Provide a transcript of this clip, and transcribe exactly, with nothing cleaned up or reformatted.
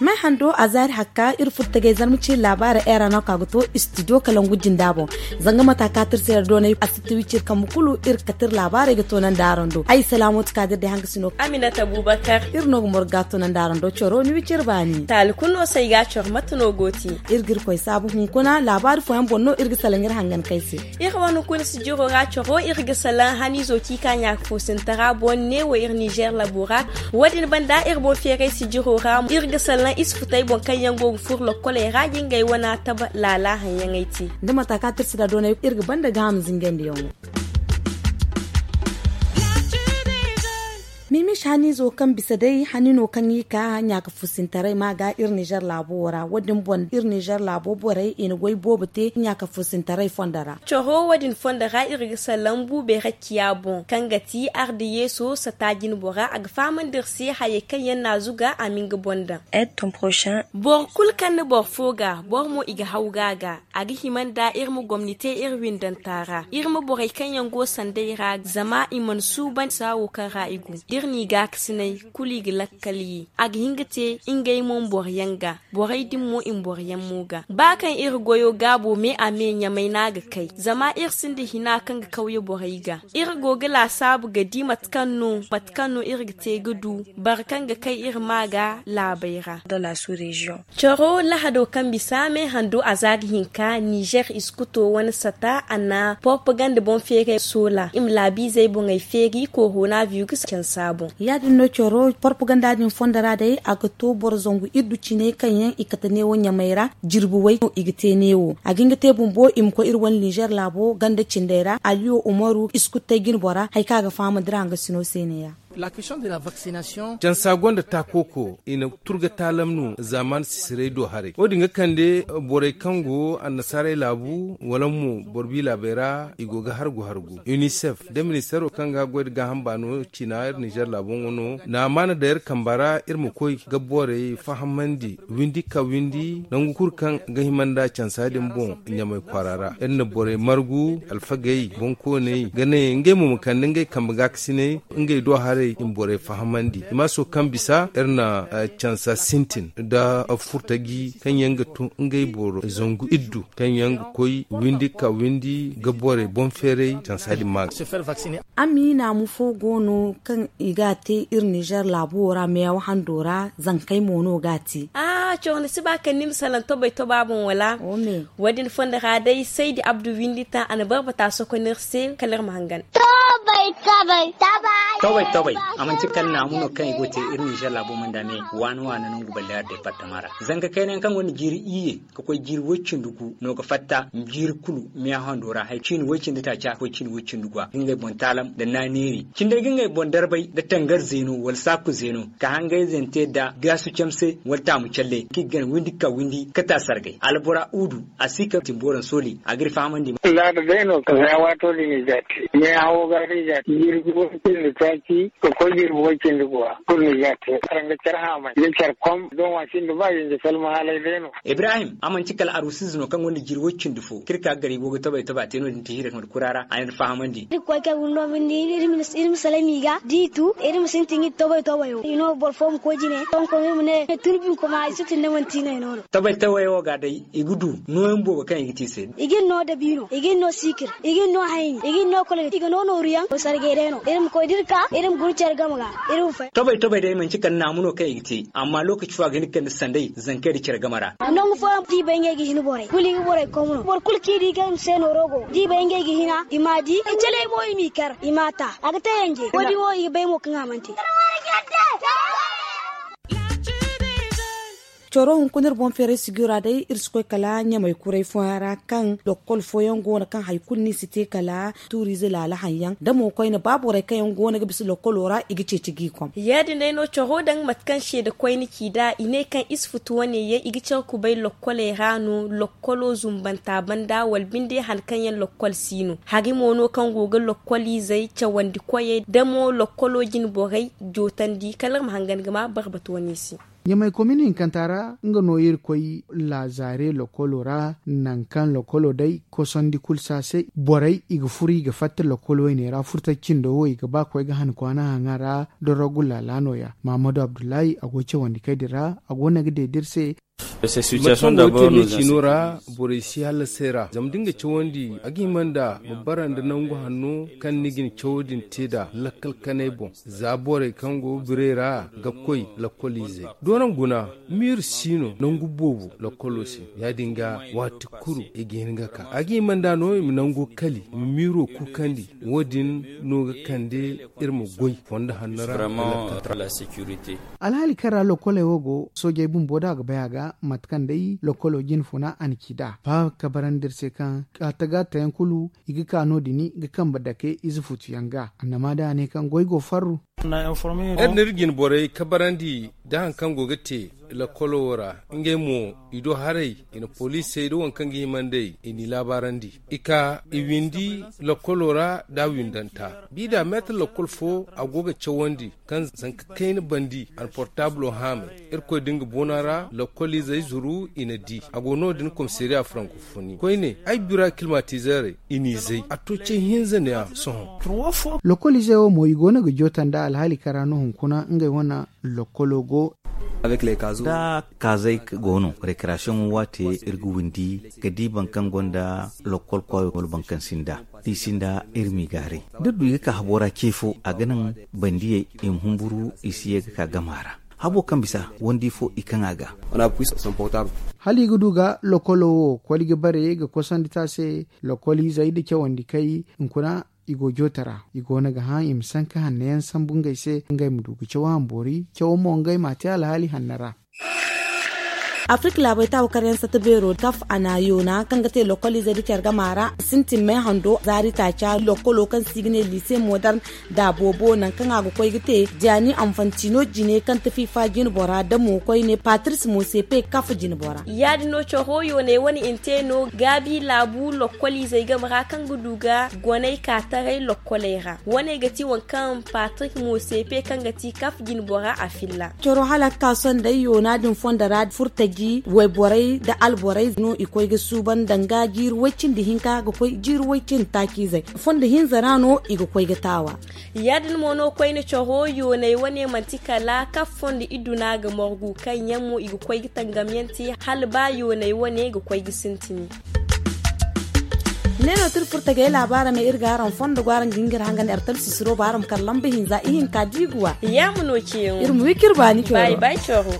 May hando a zaari hakka iri furtagay zarma ciiri laabaara era no ka ga to istidiyo kalangu jinda boŋ. Zanga mata ka tirsi yar doonay a si tiwi ciiri kambe kulu iri ga kate iri laabaarey ga toonandi araŋ do ay salaamooti ka da iri day hanga si no aminata bubakar. Iri no ga morga toonandi araŋ do coro ni wi ciri baani taali kulu no se ay ga a coro mate no go ti. Iri ga iri koy saabu hunkuna laabaari fooyaŋ boŋ no iri ga salaŋ iri hangan kay se. Iri wane kulu sijiro ra coro iri ga salaŋ haniizo ci ka ɲaaka foosintara boŋ neewo iri nizer labo ra. Wo- din banda iri boŋ feeray sijiro ra iri ga salaŋ isfutey boŋ kaŋ yaŋ go ga furo lokkoley ra ga ngey wana taba laala haŋyaŋey te. Da mata ka tirsi da doonay iri ga banda gaaham zingandiyaŋo. Mimish haniizo kaŋ bisa day hani no kaŋ i ka ɲaaka fusintaray ma ga iri nizer laabo wo ra wo- din boŋ iri nizer laabo borey i na goy boobo te ɲaaka fusintaray fondo ra. Coro wo- din fondo ra iri ga salaŋ buubey rakkiya boŋ kaŋ ga ti arda yeeso sata jinbo ra a ga fahamandi iri se hayey kaŋ yaŋ na a zuga a ma nga boŋ daŋ. Boro kulu kaŋ na boro fo ga boro mo i ga haw ga a ga. A ga hima nda iri ma gomni te iri windanta ra iri ma borey kaŋ yaŋ go sanday ra zama i mana suuban saawo kaŋ ra i go da iri n'i gaakasinay kulu i ga lakkal ye. A ga hin ga te ngey mo ma boro yaŋ ga borey din mo i ma boro yaŋ mo ga ba kaŋ iri goyo gaabo me a me ɲamay no a ga kay zama iri sinda hina kaŋ ga kawye borey ga. Iri go ga laasaabu ga di mate kaŋ no mate kaŋ no iri ga te ga du boro kaŋ ga kay iri ma ga laabey ra. Coro lahado kaŋ bisa me hando a za ga hinka nizer iskuto wane sata a na porpaganda boŋ feeray soola i ma laabiizey boŋey feeri korona virus cansa boŋ. Ya- din no coro porpaganda din fondo ra day a ga to boro zangu iddu cine kaŋ yaŋ i kate neewo ɲamay ra jirbi way no i ga te neewo a ga hin ga te bumbo i ma koy iri wane nizer laabo ganda cindey ra aliyo umaru iskutey jinbora hari kaŋ a ga fahamandi ra hangasino se ne- ya. Cansa gonda taakoko i na turga taalam no zaamaani sisiray do haray wo- din ga kande borey kaŋ go annasaaray laabu wala mo boro bi laabey ra i go ga hargu hargu unicef nda ministeero kaŋ ga goy nda gaaham baano ciina iri nizer laabo ŋwa no na amaana daŋ iri kamba ra iri ma koy ga borey fahamandi windi ka windi nangu kulu kaŋ ga hima nda cansa din boŋ ɲamay kwaara ra iri na borey margu alfagey boŋkooney ga ne ngey mo ma kande ngey kambe gaakasiney ngey do haray i ma borey fahamandi i ma so kaŋ bisa iri na cansa sintin nda furtaji kaŋ yaŋ ga tun ngey boro zangu iddu kaŋ yaŋ ga koy windi ka windi ga borey boŋ feeray cansa din ma ga. Amiina mu fo go no kaŋ i ga a te iri nizer laabo wo ra meewa hando ra zankey mo no ga a te. Cawandi si ba kaŋ ni ma salaŋ tobay toba boŋ wala? Wo- din fondo ra day saydi abdu windi taŋ a na barbata soko no iri se kala iri ma hangan. Tobay tobay. A manti kala naamu no kaŋ i go ga te iri nizer laabo manda me waani waani nangu balleer departama ra. Zanka kayna yaŋ kaŋ gonda jiiri iyye ka koy jiiri woy cindi gu no ga fatta jiiri kulu meeya hando ra hari ciini woy cindi taaca ka koy ciini woy cindi gu a ga ngey boŋ taalam nda naaneeri cindey ga ngey boŋ darbay nda tangar zeeno wala saaku zeeno ka hangayzante nda gaasu camse wala taamu calle kaŋ i ga gana windi ka windi kata sargay albora udu a si ka timbooraŋ sooli a ga iri fahamandi. Laada day no ka za waato din i za te meeya hawo ga no i za te jirbi woy cindi taaci ka koy jirbi woy cindi gu a kulu no i za te. Araŋ ga care haamay ga care kom doŋ wa sinda ba yanje salma haalay day no. Ibrahim a manti kala arusize no kaŋ gonda jiri woy cindi fo kaŋ iri ka ga gar i go ga tobay tobay a te no- din tihiiray kamar kura ra a na iri fahamandi. Iri ga koy kay windi no binde iri ma salaŋ i ga da i tu iri ma sintin ga i tobay tobayo i no boro fo ma koy jine tonko iri ma ne tun binkoma i si tun da manti no i no no. Tobay tobay wo ga day i ga du nooyaŋ boobo kaŋ i ga te i se. I ga ni no dabiino i ga ni no siikir i ga ni no hayni i ga ni no kolgati i ga no nooru yaŋ sargay day no iri ma koy da iri ka iri ma guna care game ga. Iri ma fay. Tobay tobay day manti kala naamu no kaŋ i ga te amma lookaci fo a ga hin ga kande sanday zankey nda care game ra. Nangu fooyaŋ da i bay ngey ga hin borey kulu i ga borey kom no boro kulu kaŋ i di kaŋ i ma se nooro go da i bay ngey ga hina i m'a di i caley mo i m'i kar i m'a ta a ga te yanje wo- din wo i ga bay mo kaŋ a mana te. Coro hunkuna iri boŋ feeray sijira day iri si koy kala ɲamay kuray fooyaŋ ra kaŋ lokkol fooyaŋ go no kaŋ hari kulu no i si te kala tuuriize laala haŋ yaŋ da mo koyne ba borey kaŋ yaŋ go no ga bisa lokkolo ra i ga ceeci g'i kom. Ya- din day no coro daŋ mate kaŋ seeda koyne ci nd'a i ne kaŋ iri si futu wane yaŋ i ga care kubay lokkoley ra no lokkolo zumbanta banda wala binde hari kaŋ yaŋ lokkol si no hari mo no kaŋ go ga lokkoliizey cawandi koyey da mo lokkolo jine borey jootandi kala iri ma hangan ga ma barbata wane se. Ɲamay komin hinkanta ra nga no iri koy laazaare lokolo ra, nangu kaŋ lokolo day kosandi kulu se a se borey i ga furu i ga fatta lokol wayne ra furtaci cindo wo i ga ba koy ga han kwaana haŋa ra. Dorogu laala no- ya mahamadu abdullahi a go cawandi kay din ra a go no ga deeda iri se. Mate kaŋ go ga te me ciino ra, borey si hallasay ra zama da ni ga cawandi a ga hima nda ma bara nda nangu hanno kaŋ ni ga ni cawo din te nd'a lakkal kanay boŋ. Za borey kaŋ go ga birey ra ga koy lakkoliizey doonaŋ guna, miiri si no nangu boobo lakkolo se. Ya- din ga waati kulu i ga hin ga ka a ga hima nda no i ma nango kali i ma miiro kuukandi. Wo- din no ga kande iri ma goy fondo hanno ra. Alhaali kaŋ ra lokkoley wo go soojey bumbo da a ga bay a ga mate kaŋ day lokkolo jine funa a na ci nd'a ba kabarandi iri se kaŋ a taga tayaŋ kulu i ga ka no- din ga kambe dake ize futu yaŋ ga annama da a ne kaŋ goy go farru. Iri na iri jine borey kabarandi da hari kaŋ go ga te lokkolo wo ra. Ngey mo i do haray i na poliisey da waŋ kaŋ ga hima nd'ey i n'i laabaarandi. I ka i windi lokkolo ra da windanta bi da meetar lokkol fo a go ga cawandi kaŋ zanka kayna bandi a na portaablo haamay. Irkoy da nga boona ra lokkoliizey zuru i na di a go no- din komisariya farankofoni koyne ay bira kilmatizeerey i n'i zay a to ce hinza ne- ya sohõ. Lokkoliizey wo mo i go no ga joota nda alhaali kaŋ ra no hunkuna ngey wane lokkolo go. Da kaazey go no rekerasiyoŋo waate iri ga windi ga di boro kaŋ gonda lokkol kwaayo wala boro kaŋ sinda da i sinda iri m'i gaaray da du i ga ka habo ra ce fo a ga naŋ bandiyey i ma humburu i si ye ga ka gama ra. Habo kaŋ bisa wandi fo i kaŋ a ga. Hala i ga du ga lokkolo wo koli ga bare ga kosandi te a se. Lokkoliizey nda cawandi kay hunkuna i go joota ra i go no ga hã i ma sanka hanno yaŋ sambu ngey se ngey ma du ga caw hamboori cawo mo ngey m'a te alhaali hanno ra. Afirka laabey taabu karyaŋ satta beero kaf a na yoona kaŋ ga te lokkoliizey nda care gama ra sintin may hando zaari taaca lokkolo kaŋ se i ga ne liise modern da boobo nangu kaŋ a ga koy ga te diyaani anfantino jine kaŋ tafi fa jine bora da mo koyne patris mosepe kaf jine bora. Ya- din no coro yooney wane i na te no gaabi laabu lokkoliizey game ra kaŋ ga du ga goney ka taray lokkoley ra wane ga ti waŋ kaŋ patrik mosepe kaŋ ga ti kaf jine bora a filla. Coro hala ga ka sohõ day yoona din fondo ra furtaji wayborey nda alborey no i koy ga suuban danga jiiri way- cindi hinka ga koy jiiri way- cindi taaciizey. Fondo hinza ra no i ga koy ga taawa. Ya- din mo no koyne coro yooney wane manti kala kaf fondo iduna ga margu kaŋ yaŋ mo i ga koy ga tangam yaŋ te hala ba yooney wane ga koy ga sintini. Ne no tira furtagey laabaara me iri ga araŋ fondo go araŋ ga hin ga iri hangandi artal sisiro ba araŋ ma kar lamba hinza ihinka diiguwa. Yaama no ceeyaŋo iri ma wi ka iri baani coro.